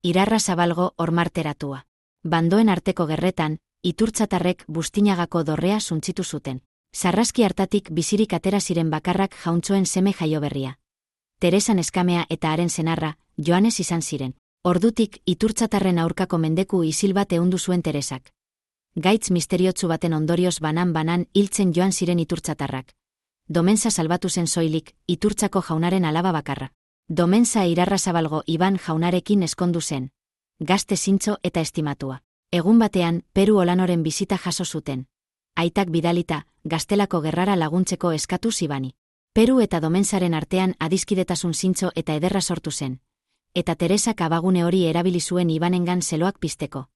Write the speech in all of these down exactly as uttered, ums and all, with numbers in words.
Irarra Zabalgo ormarteratua. Bandoen arteko gerretan, iturtzatarrek Bustinagako dorrea suntzitu zuten. Sarraski hartatik bizirik atera ziren bakarrak jauntxoen seme jaioberria. Teresa neskamea eta haren senarra, Joanes izan ziren. Ordutik, iturtzatarren aurkako mendeku isil bat ehundu zuen Teresak. Gaitz misteriotsu baten ondorioz banan-banan hiltzen joan ziren iturtzatarrak. Domenza salbatu zen soilik, iturtzako jaunaren alaba bakarra. Domenza Irarra Zabalgo Iban jaunarekin eskondu zen. Gazte zintzo eta estimatua. Egun batean, Peru Olanoren bizita jaso zuten. Aitak bidalita, Gaztelako gerrara laguntzeko eskatu Ibani. Peru eta Domenzaren artean adiskidetasun zintzo eta ederra sortu zen. Eta Teresak abagune hori erabili zuen Ibanengan zeloak pizteko.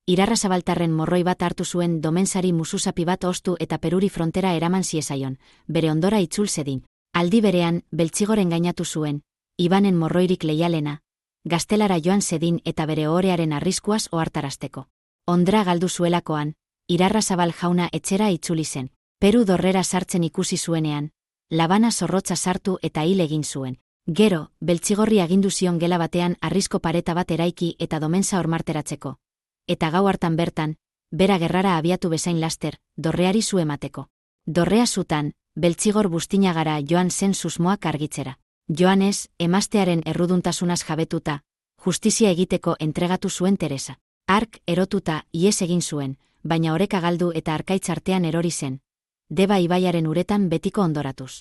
Irarra Zabaltarren morroi bat hartu zuen Domenzari musuzapi bat ostu eta Peruri frontera eraman ziezaion, bere ondora itzul zedin. Aldi berean, Beltzigoren gainatu zuen, Ibanen morroirik leialena, Gaztelara joan zedin eta bere ohorearen arriskuaz ohartarazteko. Ondra galdu zuelakoan, Irarra Zabal jauna etxera itzuli zen. Peru dorrera sartzen ikusi zuenean, labana zorrotza sartu eta hil egin zuen. Gero, Beltzigorri agindu zion gela batean arrisko pareta bat eraiki eta Domenza ormarteratzeko. Eta gau hartan bertan, bera gerrara abiatu bezain laster, dorreari zu emateko. Dorrea zutan, Beltzigor Bustinagara joan zen susmoak argitzera. Joanes, emaztearen erruduntasunaz jabetuta, justizia egiteko entregatu zuen Teresa. Hark, erotuta, ihes egin zuen, baina oreka galdu eta arkaitz artean erori zen. Deba ibaiaren uretan betiko ondoratuz.